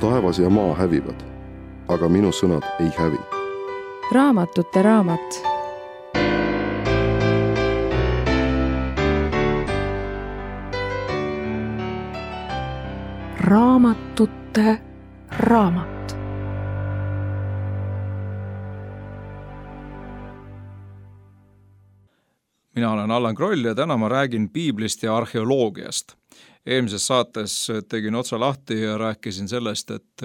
taevas ja maa hävivad, aga minu sõnad ei hävi. Raamatute raamat. Raamatute raamat. Mina olen Allan Kroll ja täna ma räägin piiblist ja arheoloogiast. Eelmises saates tegin otsa lahti ja rääkisin sellest, et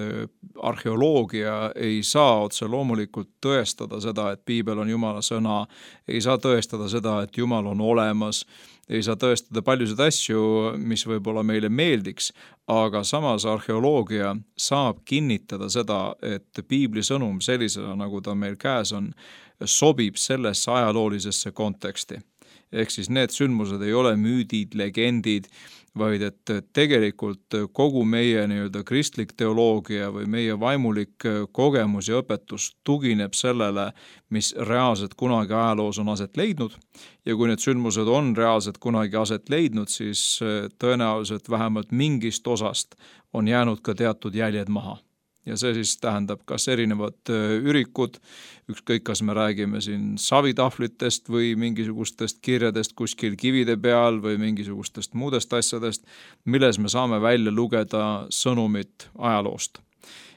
arheoloogia ei saa otse loomulikult tõestada seda, et piibel on Jumala sõna, ei saa tõestada seda, et Jumal on olemas, ei saa tõestada paljusid asju, mis võib-olla meile meeldiks, aga samas arheoloogia saab kinnitada seda, et piibli sõnum sellisena, nagu ta meil käes on, sobib sellesse ajaloolisesse konteksti. Ehk siis need sündmused ei ole müüdid, legendid, vaid et tegelikult kogu meie kristlik teoloogia või meie vaimulik kogemus ja õpetus tugineb sellele, mis reaalselt kunagi ajaloos on aset leidnud. Ja kui need sündmused on reaalselt kunagi aset leidnud, siis tõenäoliselt vähemalt mingist osast on jäänud ka teatud jäljed maha. Ja see siis tähendab kas erinevad ürikud, ükskõik kas me räägime siin savitahvlitest või mingisugustest kirjadest kuskil kivide peal või mingisugustest muudest asjadest, milles me saame välja lugeda sõnumit ajaloost.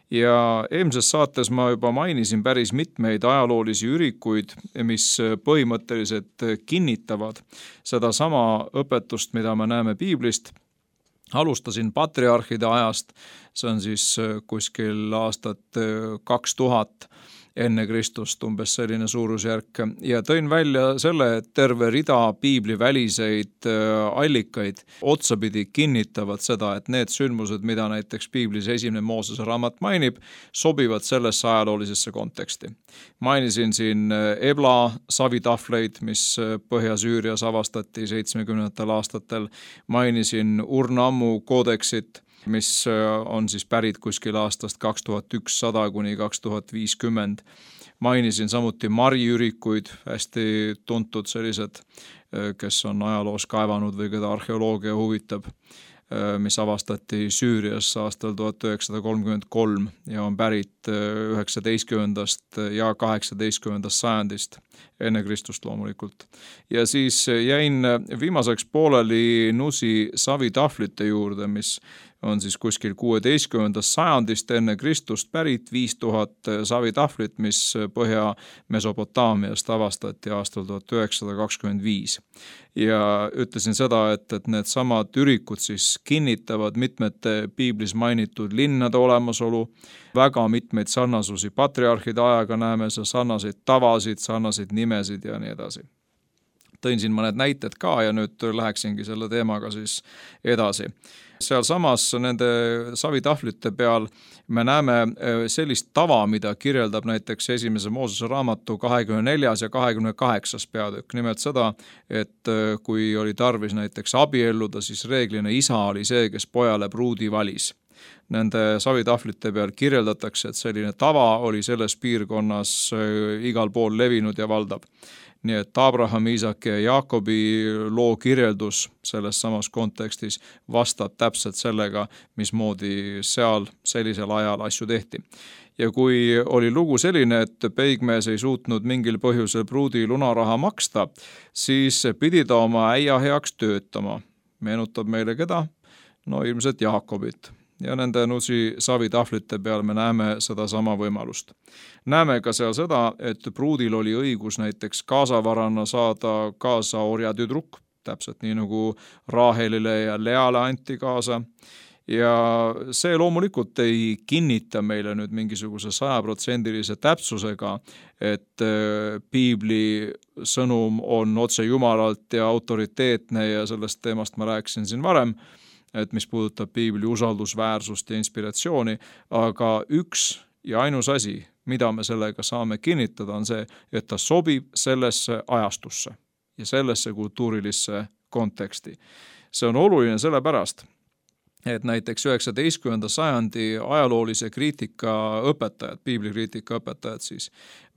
Ja eelmises saates ma juba mainisin päris mitmeid ajaloolisi ürikuid, mis põhimõtteliselt kinnitavad sedasama õpetust, mida me näeme piiblist. Alustasin patriarhide ajast, see on siis kuskil aastat 2000 enne Kristust, umbes selline suurusjärk, ja tõin välja selle, et terve rida piibli väliseid allikaid otsapidi kinnitavad seda, et need sündmused, mida näiteks piiblis esimene Moosese raamat mainib, sobivad sellesse ajaloolisesse konteksti. Mainisin siin Ebla savitahvleid, mis Põhja-Süürias avastati 70. aastatel, mainisin Urnammu koodeksit, mis on siis pärit kuskil aastast 2100 kuni 2050. Mainisin samuti mariürikuid, hästi tuntud sellised, kes on ajaloos kaevanud või keda arheoloogia huvitab, mis avastati Süürias aastal 1933 ja on pärit 19. ja 18. sajandist, enne Kristust loomulikult. Ja siis jäin viimaseks pooleli Nusi savitahvlite juurde, mis on siis kuskil 16. sajandist enne Kristust pärit 5000 savitahvlit, mis Põhja-Mesopotaamiast avastati aastal 1925. Ja ütlesin seda, et need samad ürikud siis kinnitavad mitmete piiblis mainitud linnade olemasolu, väga mitmeid sarnasusi patriarhide ajaga näeme, sarnaseid tavasid, sarnaseid nimesid ja nii edasi. Tõin siin mõned näited ka ja nüüd läheksingi selle teemaga siis edasi. Seal samas nende savitahvlite peal me näeme sellist tava, mida kirjeldab näiteks esimese Moosese raamatu 24. ja 28. peatükk. Nimelt seda, et kui oli tarvis näiteks abielluda, siis reeglina isa oli see, kes pojale pruudi valis. Nende savitahvlite peal kirjeldatakse, et selline tava oli selles piirkonnas igal pool levinud ja valdav. Nii et Abraham, Iisak ja Jaakobi loo kirjeldus selles samas kontekstis vastab täpselt sellega, mismoodi seal sellisel ajal asju tehti. Ja kui oli lugu selline, et peigmees ei suutnud mingil põhjusel pruudi lunaraha maksta, siis pidi ta oma äia heaks töötama. Meenutab meile keda? No ilmselt Jaakobit. Ja nende Nusi savitahvlite peal me näeme seda sama võimalust. Näeme ka seal seda, et pruudil oli õigus näiteks kaasavarana saada kaasa orjatüdruk, täpselt nii nagu Raahelile ja Leale anti kaasa. Ja see loomulikult ei kinnita meile nüüd mingisuguse 100% täpsusega, et piibli sõnum on otse Jumalalt ja autoriteetne ja sellest teemast ma rääkisin siin varem, et mis puudutab piibli usaldusväärsust ja inspiratsiooni, aga üks ja ainus asi, mida me sellega saame kinnitada, on see, et ta sobib sellesse ajastusse ja sellesse kultuurilisse konteksti. See on oluline sellepärast, et näiteks 19. sajandi ajaloolise kriitika õpetajad, piiblikriitika õpetajad siis,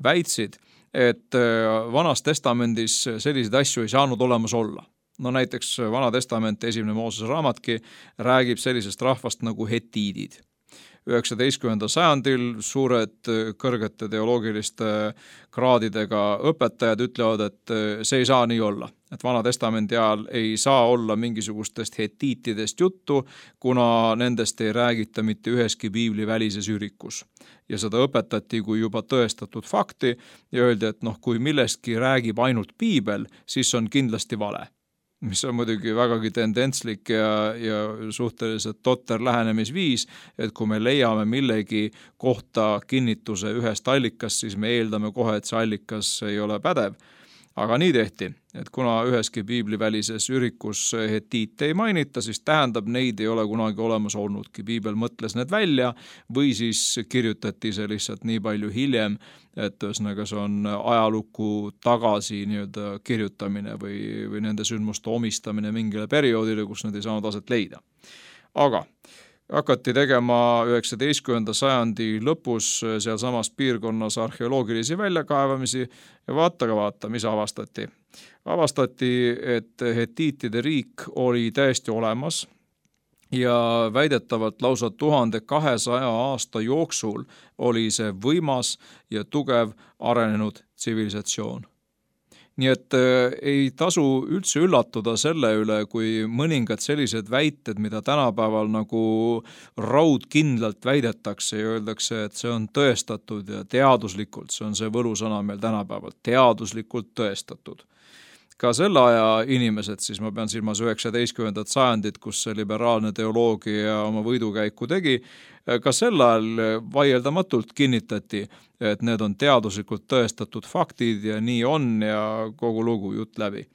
väitsid, et Vanas testamendis selliseid asju ei saanud olemas olla. No näiteks Vana testament, esimene Moosese raamatki, räägib sellisest rahvast nagu hetiidid. 19. sajandil suured kõrgete teoloogiliste kraadidega õpetajad ütlevad, et see ei saa nii olla. Et Vana Testamendi ajal ei saa olla mingisugustest hetiitidest juttu, kuna nendest ei räägita mitte üheski piibli välises ürikus. Ja seda õpetati kui juba tõestatud fakti ja öeldi, et kui millestki räägib ainult piibel, siis on kindlasti vale. Mis on muidugi vägagi tendentslik ja suhteliselt totter lähenemisviis, et kui me leiame millegi kohta kinnituse ühest allikast, siis me eeldame kohe, et see allikas ei ole pädev. Aga nii tehti, et kuna üheski piiblivälises ürikus hetiite ei mainita, siis tähendab, neid ei ole kunagi olemas olnudki. Piibel mõtles need välja või siis kirjutati see lihtsalt nii palju hiljem, et ühesõnaga see on ajalukku tagasi nii-öelda kirjutamine või nende sündmuste omistamine mingile perioodile, kus nad ei saanud aset leida. Aga hakati tegema 19. sajandi lõpus sealsamas piirkonnas arheoloogilisi väljakaevamisi ja vaata, mis avastati. Avastati, et hetiitide riik oli täiesti olemas ja väidetavalt lausa 1200 aasta jooksul oli see võimas ja tugev arenenud tsivilisatsioon. Nii et ei tasu üldse üllatuda selle üle, kui mõningad sellised väited, mida tänapäeval nagu raudkindlalt väidetakse ja öeldakse, et see on tõestatud ja teaduslikult, see on see võlusõna meil tänapäeval, teaduslikult tõestatud. Ka selle aja inimesed, siis ma pean silmas 19. sajandit, kus see liberaalne teoloogia oma võidukäiku tegi, ka sel ajal vaieldamatult kinnitati, et need on teaduslikult tõestatud faktid ja nii on ja kogu lugu jutt läbi.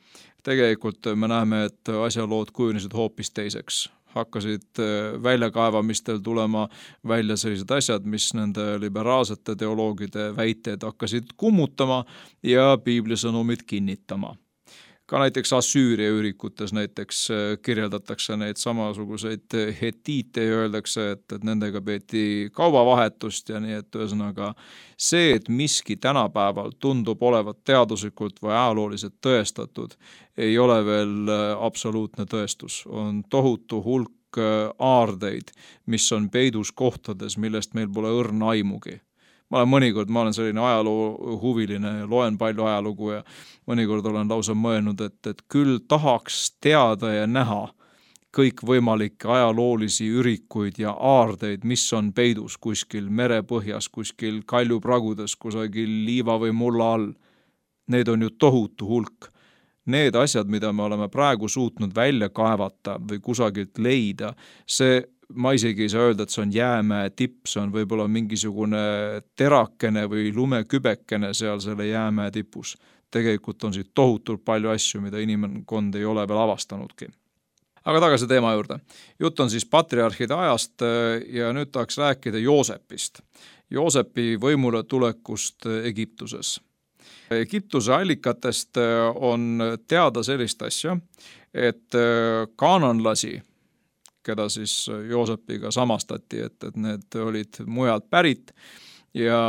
Tegelikult me näeme, et asjalood kujunesid hoopis teiseks. Hakkasid väljakaevamistel tulema välja sellised asjad, mis nende liberaalsete teoloogide väiteid hakkasid kummutama ja piiblisõnumid kinnitama. Ka näiteks Assüüria ürikutes näiteks kirjeldatakse neid samasuguseid hetiite ja öeldakse, et nendega peeti kaubavahetust ja nii, et ühesõnaga see, et miski tänapäeval tundub olevat teaduslikult või ajalooliselt tõestatud, ei ole veel absoluutne tõestus. On tohutu hulk aardeid, mis on peidus kohtades, millest meil pole õrna aimugi. Ma olen selline ajaloo huviline ja loen palju ajalugu ja mõnikord olen lausa mõelnud, et küll tahaks teada ja näha kõikvõimalikke ajaloolisi ürikuid ja aardeid, mis on peidus kuskil merepõhjas, kuskil kaljupragudes, kusagil liiva või mulla all. Need on ju tohutu hulk. Need asjad, mida me oleme praegu suutnud välja kaevata või kusagilt leida, ma isegi ei saa öelda, et see on jäämäe tipp, see on võib-olla mingisugune terakene või lumekübekene seal selle jäämäe tipus. Tegelikult on siit tohutult palju asju, mida inimkond ei ole veel avastanudki. Aga tagasi teema juurde. Jutt on siis patriarhide ajast ja nüüd tahaks rääkida Joosepist. Joosepi võimule tulekust Egiptuses. Egiptuse allikatest on teada sellist asja, et kaananlasi, keda siis Joosepiga samastati, et need olid mujalt pärit ja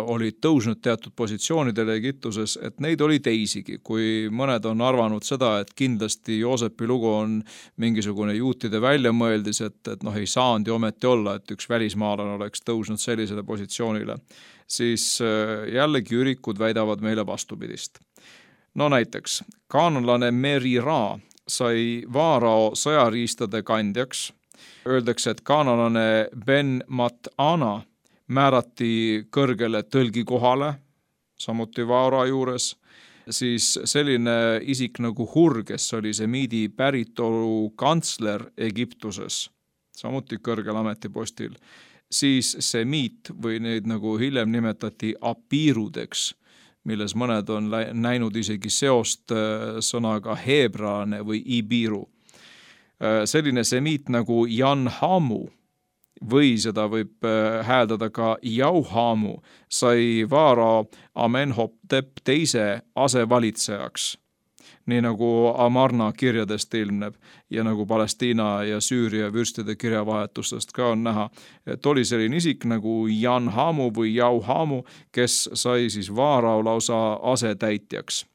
olid tõusnud teatud positsioonidele Egiptuses, et neid oli teisigi, kui mõned on arvanud seda, et kindlasti Joosepi lugu on mingisugune juutide väljamõeldis, et ei saanud ju ometi olla, et üks välismaalane oleks tõusnud sellisele positsioonile, siis jällegi ürikud väidavad meile vastupidist. No näiteks, kaananlane Merira sai Vaarao sõjariistade kandjaks. Öeldakse, et kaananlane Ben Mat-Ana määrati kõrgele tõlgikohale, samuti Vaarao juures. Siis selline isik nagu Hur, kes oli semiidi päritolu kantsler Egiptuses, samuti kõrgel ametipostil. Siis semiit või neid nagu hiljem nimetati apiirudeks, milles mõned on näinud isegi seost sõnaga heebraalane või ibiru. Selline semiit nagu Janhamu või seda võib hääldada ka Jauhamu sai Vaarao Amenhotep teise asevalitsejaks, nii nagu Amarna kirjadest ilmneb ja nagu Palestiina ja Süüria vürstide kirjavahetustest ka on näha, et oli selline isik nagu Janhamu või Jauhamu, kes sai siis Vaarao lausa asetäitjaks.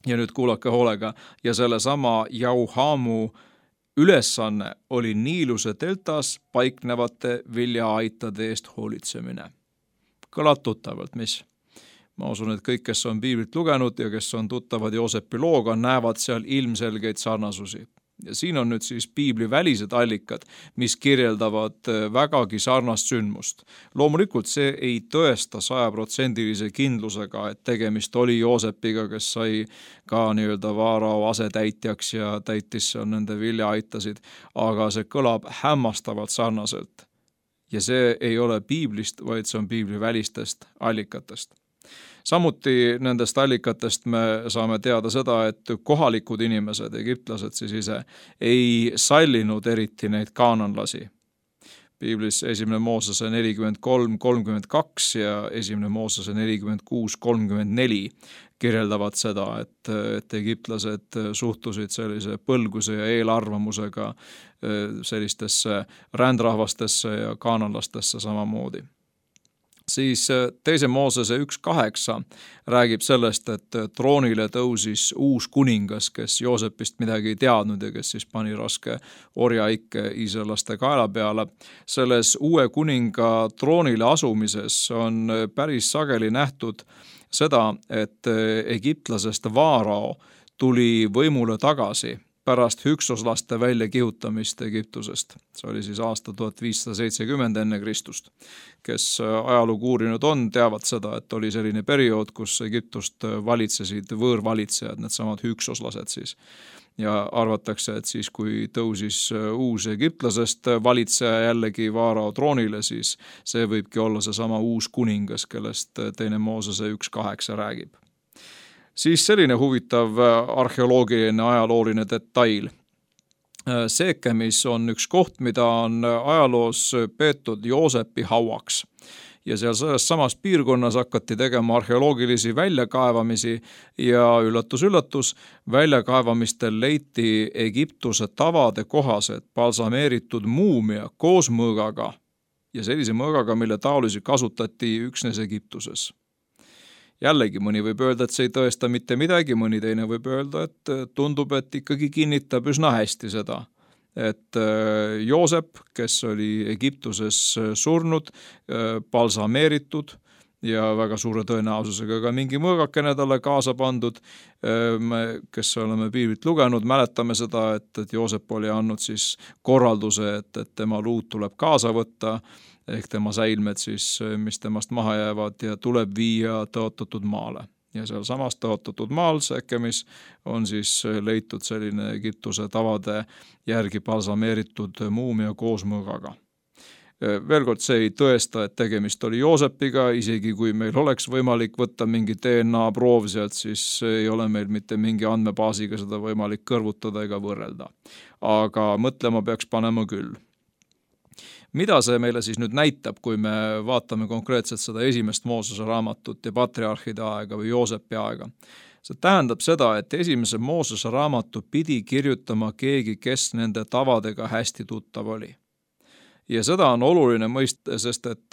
Ja nüüd kuulake hoolega, ja sellesama Jauhamu ülesanne oli Niiluse deltas paiknevate viljaaitade eest hoolitsemine. Kõlab tuttavalt, mis? Ma usun, et kõik, kes on piiblit lugenud ja kes on tuttavad Joosepi looga, näevad seal ilmselgeid sarnasusi. Ja siin on nüüd siis piibli välised allikad, mis kirjeldavad vägagi sarnast sündmust. Loomulikult see ei tõesta 100% kindlusega, et tegemist oli Joosepiga, kes sai ka Vaarao asetäitjaks ja täitis seal nende viljaaitasid, aga see kõlab hämmastavalt sarnaselt. Ja see ei ole piiblist, vaid see on piibli välistest allikatest. Samuti nendest allikatest me saame teada seda, et kohalikud inimesed, egiptlased siis ise, ei sallinud eriti neid kaananlasi. Piiblis 1. Moosese 43:32 ja 1. Moosese 46:34 kirjeldavad seda, et egiptlased suhtusid sellise põlguse ja eelarvamusega sellistesse rändrahvastesse ja kaananlastesse samamoodi. Siis 2. Moosese 1:8 räägib sellest, et troonile tõusis uus kuningas, kes Joosepist midagi ei teadnud ja kes siis pani raske orjaikke iisraellaste kaela peale. Selles uue kuninga troonile asumises on päris sageli nähtud seda, et egiptlasest Vaarao tuli võimule tagasi pärast hüksoslaste välja kihutamist Egiptusest. See oli siis aasta 1570 enne Kristust. Kes ajalugu uurinud on, teavad seda, et oli selline periood, kus Egiptust valitsesid võõrvalitsejad, needsamad hüksoslased siis. Ja arvatakse, et siis kui tõusis uus egiptlasest valitseja jällegi Vaarao troonile, siis see võibki olla seesama uus kuningas, kellest 2. Moosese 1:8 räägib. Siis selline huvitav arheoloogiline ajalooline detail. Seekemis on üks koht, mida on ajaloos peetud Joosepi hauaks. Ja seal selles samas piirkonnas hakati tegema arheoloogilisi väljakaevamisi ja üllatus, väljakaevamistel leiti Egiptuse tavade kohaselt balsameeritud muumia koos mõõgaga ja sellise mõõgaga, mille taolisi kasutati üksnes Egiptuses. Jällegi mõni võib öelda, et see ei tõesta mitte midagi, mõni teine võib öelda, et tundub, et ikkagi kinnitab üsna hästi seda, et Joosep, kes oli Egiptuses surnud, balsameeritud ja väga suure tõenäosusega ka mingi mõõgakene talle kaasa pandud, kes oleme piiblit lugenud, mäletame seda, et Joosep oli andnud siis korralduse, et tema luud tuleb kaasa võtta, ehk tema säilmed siis, mis temast maha jäävad ja tuleb viia tõotatud maale. Ja seal samas tõotatud maal Sekemis on siis leitud selline Egiptuse tavade järgi balsameeritud muumia koos mõõgaga. Veel kord, see ei tõesta, et tegemist oli Joosepiga, isegi kui meil oleks võimalik võtta mingi DNA proov sealt, siis ei ole meil mitte mingi andmebaasiga seda võimalik kõrvutada ega võrrelda. Aga mõtlema peaks panema küll. Mida see meile siis nüüd näitab, kui me vaatame konkreetselt seda 1. Moosese raamatut ja patriarhide aega või Joosepi aega? See tähendab seda, et 1. Moosese raamatu pidi kirjutama keegi, kes nende tavadega hästi tuttav oli. Ja seda on oluline mõista, sest et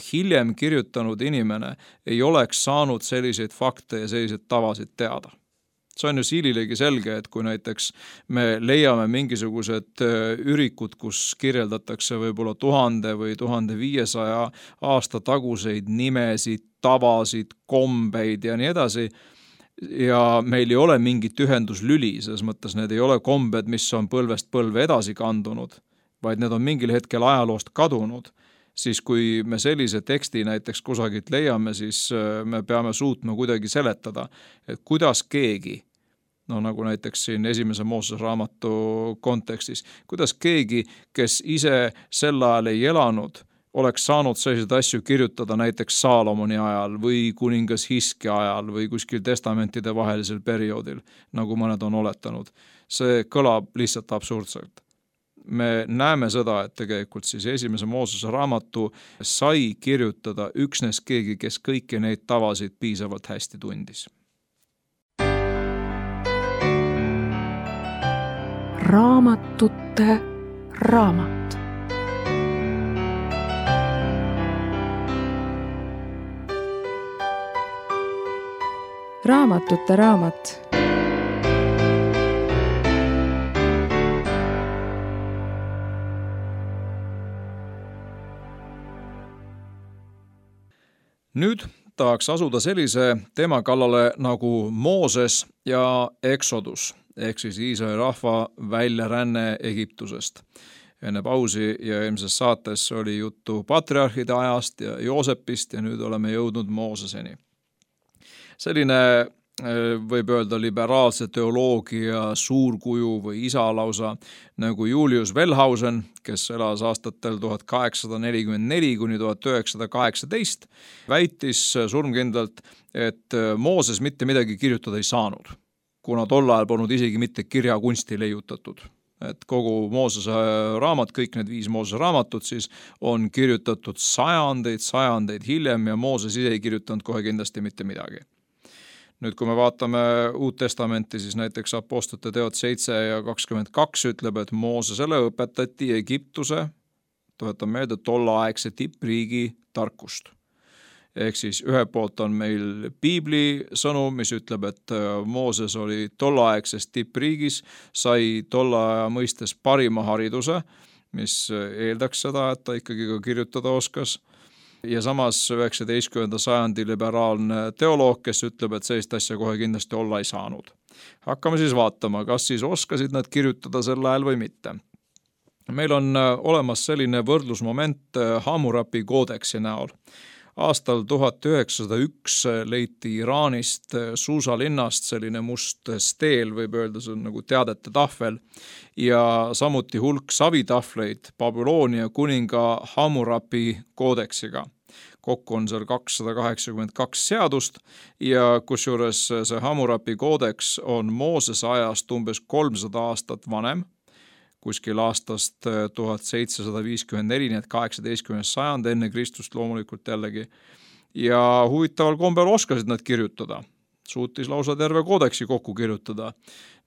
hiljem kirjutanud inimene ei oleks saanud selliseid fakte ja selliseid tavasid teada. See on ju siililegi selge, et kui näiteks me leiame mingisugused ürikud, kus kirjeldatakse võib-olla 1000 või 1500 aasta taguseid nimesid, tavasid, kombeid ja nii edasi, ja meil ei ole mingit ühenduslüli, selles mõttes need ei ole kombed, mis on põlvest põlve edasi kandunud, vaid need on mingil hetkel ajaloost kadunud, siis kui me sellise teksti näiteks kusagilt leiame, siis me peame suutma kuidagi seletada, et kuidas keegi, nagu näiteks siin 1. Moosese raamatu kontekstis, kuidas keegi, kes ise sel ajal ei elanud, oleks saanud selliseid asju kirjutada näiteks Saalomoni ajal või kuningas Hiskia ajal või kuskil testamentide vahelisel perioodil, nagu mõned on oletanud. See kõlab lihtsalt absurdselt. Me näeme seda, et tegelikult siis 1. Moosese raamatu sai kirjutada üksnes keegi, kes kõiki neid tavasid piisavalt hästi tundis. Raamatute raamat. Raamatute raamat. 1. Nüüd tahaks asuda sellise teema kallale nagu Mooses ja Exodus, ehk siis Iisraeli rahva väljaränne Egiptusest. Enne pausi ja eelmises saates oli juttu patriarhide ajast ja Joosepist ja nüüd oleme jõudnud Mooseseni. Selline võib öelda liberaalse teoloogia suurkuju või isa lausa nagu Julius Wellhausen, kes elas aastatel 1844 kuni 1918, väitis surmkindlalt, et Mooses mitte midagi kirjutada ei saanud, kuna tol ajal polnud isegi mitte kirjakunsti leiutatud. Et kogu Moosese raamat, kõik need 5 Moosese raamatut siis on kirjutatud sajandeid hiljem ja Mooses ise ei kirjutanud kohe kindlasti mitte midagi. Nüüd, kui me vaatame Uut Testamenti, siis näiteks Apostlite teod 7 ja 22 ütleb, et Moosesele õpetati Egiptuse, tuletan meelde, tollaegse tippriigi tarkust. Ehk siis ühe poolt on meil Piibli sõnum, mis ütleb, et Mooses oli tollaegses tippriigis, sai tolla aja mõistes parima hariduse, mis eeldaks seda, et ta ikkagi ka kirjutada oskas. Ja samas 19. sajandi liberaalne teoloog, kes ütleb, et sellist asja kohe kindlasti olla ei saanud. Hakkame siis vaatama, kas siis oskasid nad kirjutada sel ajal või mitte. Meil on olemas selline võrdlusmoment Hammurapi koodeksi näol. Aastal 1901 leiti Iraanist Suusa linnast selline must steel, võib öelda, see on nagu teadete tahvel, ja samuti hulk savitahvleid Babyloonia kuninga Hammurapi koodeksiga. Kokku on seal 282 seadust ja kusjuures see Hammurapi koodeks on Moosese ajast umbes 300 aastat vanem, kuskil aastast 1754, nii et 18. sajand enne Kristust loomulikult jällegi. Ja huvitaval kombel oskasid nad kirjutada. Suutis lausa terve koodeksi kokku kirjutada.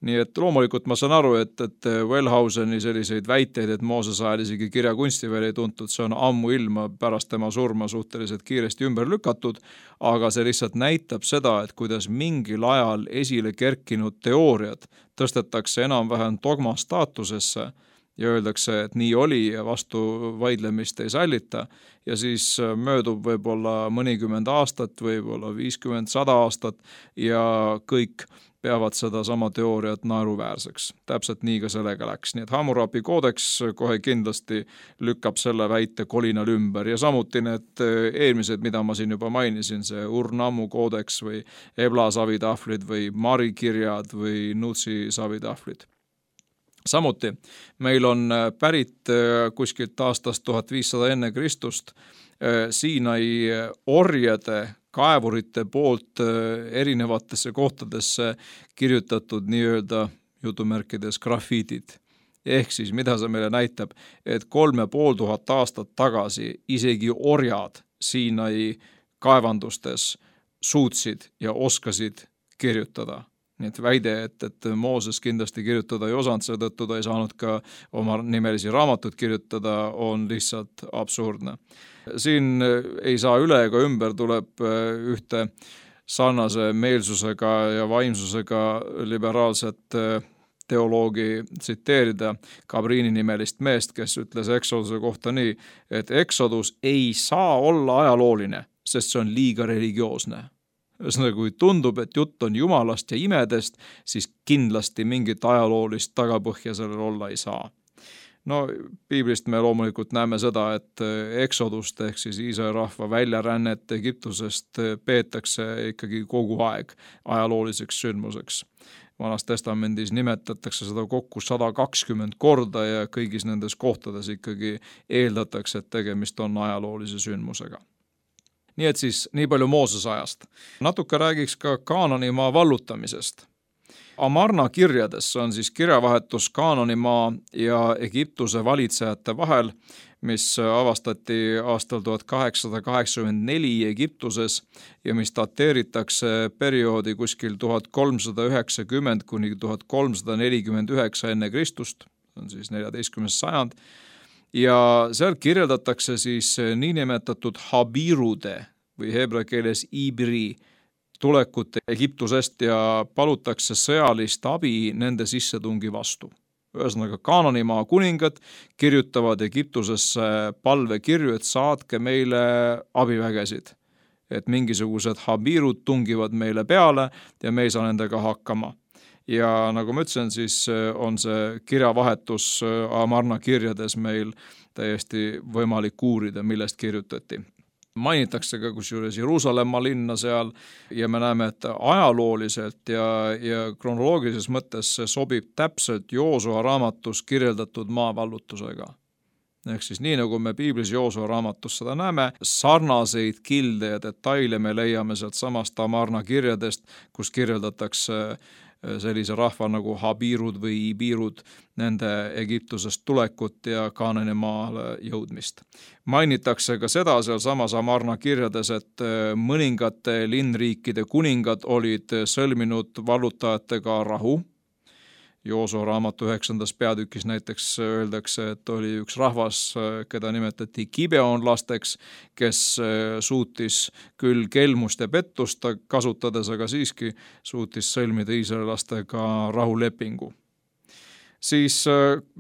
Nii et loomulikult ma saan aru, et Wellhauseni selliseid väiteid, et Mooses ajal isegi kirjakunsti veel ei tuntud, see on ammu ilma pärast tema surma suhteliselt kiiresti ümber lükatud, aga see lihtsalt näitab seda, et kuidas mingil ajal esile kerkinud teooriad tõstetakse enam-vähem dogma staatusesse ja öeldakse, et nii oli ja vastu vaidlemist ei sallita ja siis möödub võib-olla mõnikümmend aastat, võib-olla 50-100 aastat ja kõik peavad seda sama teooriat naeruväärseks. Täpselt nii ka sellega läks. Nii et Hammurapi koodeks kohe kindlasti lükkab selle väite kolinal ümber ja samuti need eelmised, mida ma siin juba mainisin, see Ur-Nammu koodeks või Ebla savitahvlid või Mari kirjad või Nutsi savitahvlid. Samuti meil on pärit kuskilt aastast 1500 enne Kristust Siinai orjade kaevurite poolt erinevatesse kohtadesse kirjutatud nii-öelda jutumärkides grafiitid. Ehk siis, mida see meile näitab, et 3500 aastat tagasi isegi orjad Siinai kaevandustes suutsid ja oskasid kirjutada. Nii et väide, et Mooses kindlasti kirjutada ei osanud, seetõttu ta ei saanud ka oma nimelisi raamatut kirjutada, on lihtsalt absurdne. Siin ei saa üle ega ümber, tuleb ühte sarnase meelsusega ja vaimsusega liberaalset teoloogi tsiteerida Cabrini nimelist meest, kes ütles Exoduse kohta nii, et Exodus ei saa olla ajalooline, sest see on liiga religioosne. Ühesõnaga, kui tundub, et jutt on jumalast ja imedest, siis kindlasti mingit ajaloolist tagapõhja sellel olla ei saa. No, Piiblist me loomulikult näeme seda, et Exodust ehk siis Iisraeli rahva väljarännet Egiptusest peetakse ikkagi kogu aeg ajalooliseks sündmuseks. Vanas testamendis nimetatakse seda kokku 120 korda ja kõigis nendes kohtades ikkagi eeldatakse, et tegemist on ajaloolise sündmusega. Nii et siis nii palju Moosese ajast. Natuke räägiks ka Kaananimaa vallutamisest. Amarna kirjades on siis kirjavahetus Kaananimaa ja Egiptuse valitsejate vahel, mis avastati aastal 1884 Egiptuses ja mis dateeritakse perioodi kuskil 1390 kuni 1349 enne Kristust, on siis 14. sajand, ja seal kirjeldatakse siis niinimetatud habirude või heebrea keeles ibri tulekut Egiptusest ja palutakse sõjalist abi nende sissetungi vastu. Ühesõnaga, Kaananimaa kuningad kirjutavad Egiptusesse palvekirju, et saatke meile abivägesid. et mingisugused habiirud tungivad meile peale ja me ei saa nendega hakkama. Ja nagu ma ütlesin, siis on see kirjavahetus Amarna kirjades meil täiesti võimalik uurida, millest kirjutati. Mainitakse ka kusjuures Jeruusalemma linna seal ja me näeme, et ajalooliselt ja kronoloogilises mõttes see sobib täpselt Joosua raamatus kirjeldatud maavallutusega. Ehk siis nii, nagu me piiblis Joosua raamatus seda näeme, sarnaseid kilde ja detaile me leiame sealt samast Amarna kirjadest, kus kirjeldatakse sellise rahva nagu habiirud või ibiirud, nende Egiptusest tulekut ja Kaanani maale jõudmist. Mainitakse ka seda seal samas Amarna kirjades, et mõningate linnriikide kuningad olid sõlminud vallutajatega rahu. Joosua raamatu 9. peatükis näiteks öeldakse, et oli üks rahvas, keda nimetati Gibeonlasteks, kes suutis küll kelmust ja pettust kasutades, aga siiski suutis sõlmida iisraelastega rahulepingu. Siis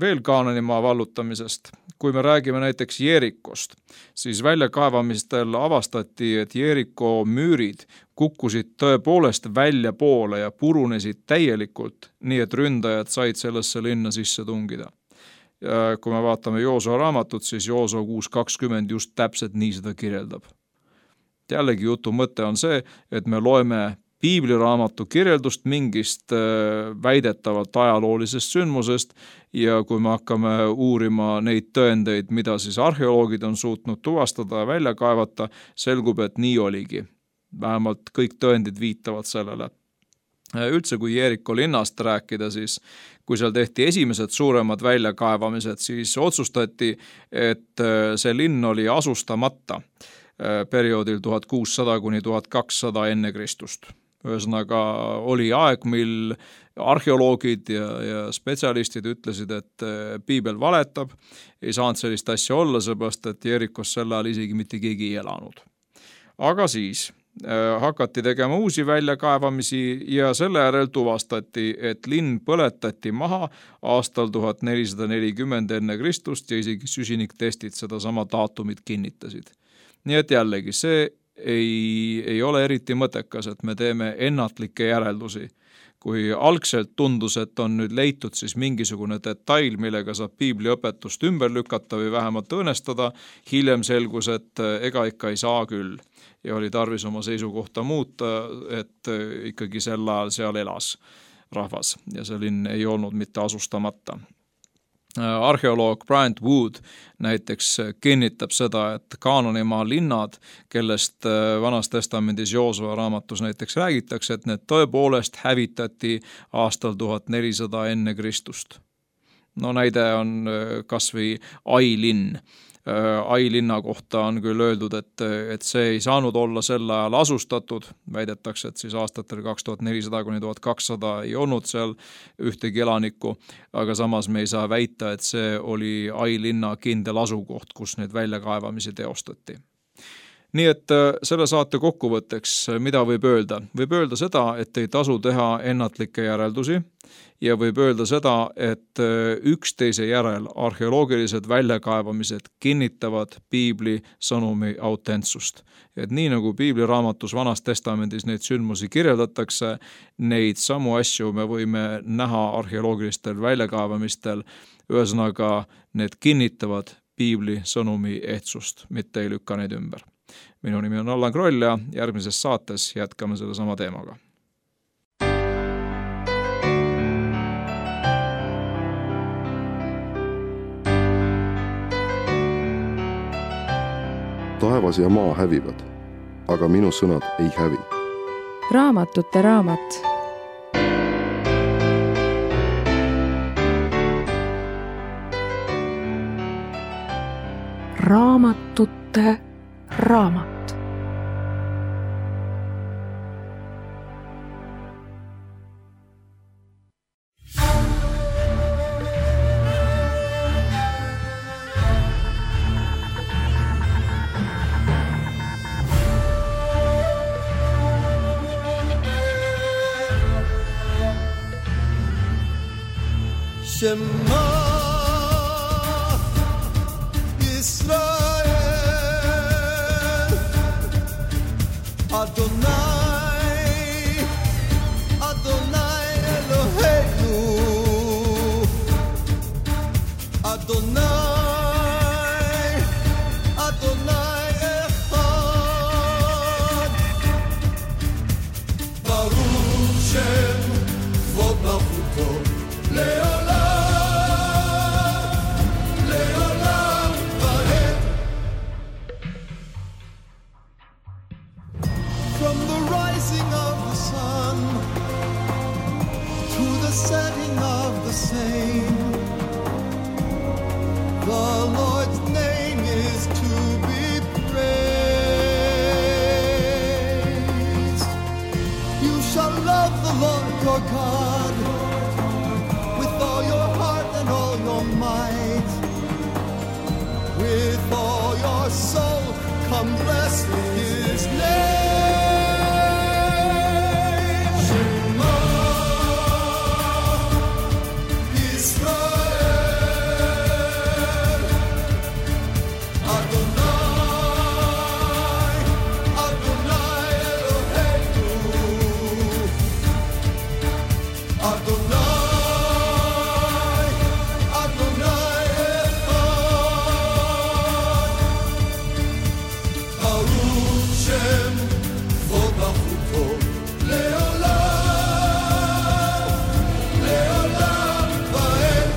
veel Kaananimaa vallutamisest. Kui me räägime näiteks Jeerikost, siis väljakaevamistel avastati, et Jeeriko müürid kukkusid tõepoolest välja poole ja purunesid täielikult, nii et ründajad said sellesse linna sisse tungida. Ja kui me vaatame Joosua raamatut, siis Joosua 6.20 just täpselt nii seda kirjeldab. Jällegi jutu mõte on see, et me loeme piibliraamatu kirjeldust mingist väidetavalt ajaloolisest sündmusest ja kui me hakkame uurima neid tõendeid, mida siis arheoloogid on suutnud tuvastada ja välja kaevata, selgub, et nii oligi. Vähemalt kõik tõendid viitavad sellele. Üldse, kui Jeeriko linnast rääkida, siis kui seal tehti esimesed suuremad väljakaevamised, siis otsustati, et see linn oli asustamata perioodil 1600–1200 enne Kristust. Ühesõnaga oli aeg, mil arheoloogid ja spetsialistid ütlesid, et piibel valetab, ei saanud sellist asja olla, seepärast, et Jeerikos sel ajal isegi mitte keegi ei elanud. Aga siis hakati tegema uusi väljakaevamisi ja selle järel tuvastati, et linn põletati maha aastal 1440 enne Kristust ja isegi süsiniktestid seda sama daatumit kinnitasid. Nii et jällegi, see ei ole eriti mõttekas, et me teeme ennatlikke järeldusi. Kui algselt tundus, et on nüüd leitud siis mingisugune detail, millega saab piibliõpetust ümber lükata või vähemalt õõnestada, hiljem selgus, et ega ikka ei saa küll. Ja oli tarvis oma seisukohta muuta, et ikkagi sel ajal seal elas rahvas ja see linn ei olnud mitte asustamata. Arheoloog Bryant Wood näiteks kinnitab seda, et Kaananimaa linnad, kellest Vanas testamendis Joosua raamatus näiteks räägitakse, et need tõepoolest hävitati aastal 1400 enne Kristust. No näide on kas või Ai linn. Ai linna kohta on küll öeldud, et see ei saanud olla sel ajal asustatud, väidetakse, et siis aastatel 2400–1200 ei olnud seal ühtegi elanikku, aga samas me ei saa väita, et see oli Ai linna kindel asukoht, kus neid väljakaevamisi teostati. Nii et selle saate kokkuvõtteks, mida võib öelda? Võib öelda seda, et ei tasu teha ennatlikke järeldusi ja võib öelda seda, et üksteise järel arheoloogilised väljakaevamised kinnitavad piibli sõnumi autentsust. Et nii nagu piibliraamatus Vanas testamendis neid sündmusi kirjeldatakse, neid samu asju me võime näha arheoloogilistel väljakaevamistel, ühesõnaga need kinnitavad piibli sõnumi ehtsust, mitte ei lükka neid ümber. Minu nimi on Allan Kroll ja järgmises saates jätkame selle sama teemaga. Taevas ja maa hävivad, aga minu sõnad ei hävi. Raamatute raamat. Raamatute raamat. Shema Israel setting of the same. The Lord's name is to be praised. You shall love the Lord your God with all your heart and all your might. With all your soul, come bless his name. Shema Israel, Adonai, Adonai Eloheinu, Adonai, Adonai Echad. Baruch Shem Vodachuto Leolam, Leolam Vaed.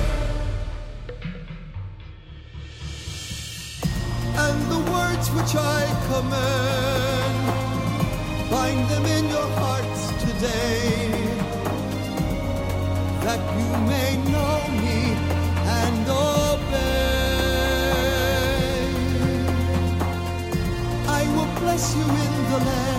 And the words which I command, bind them in your hearts today, that you may know me and obey. I will bless you in the land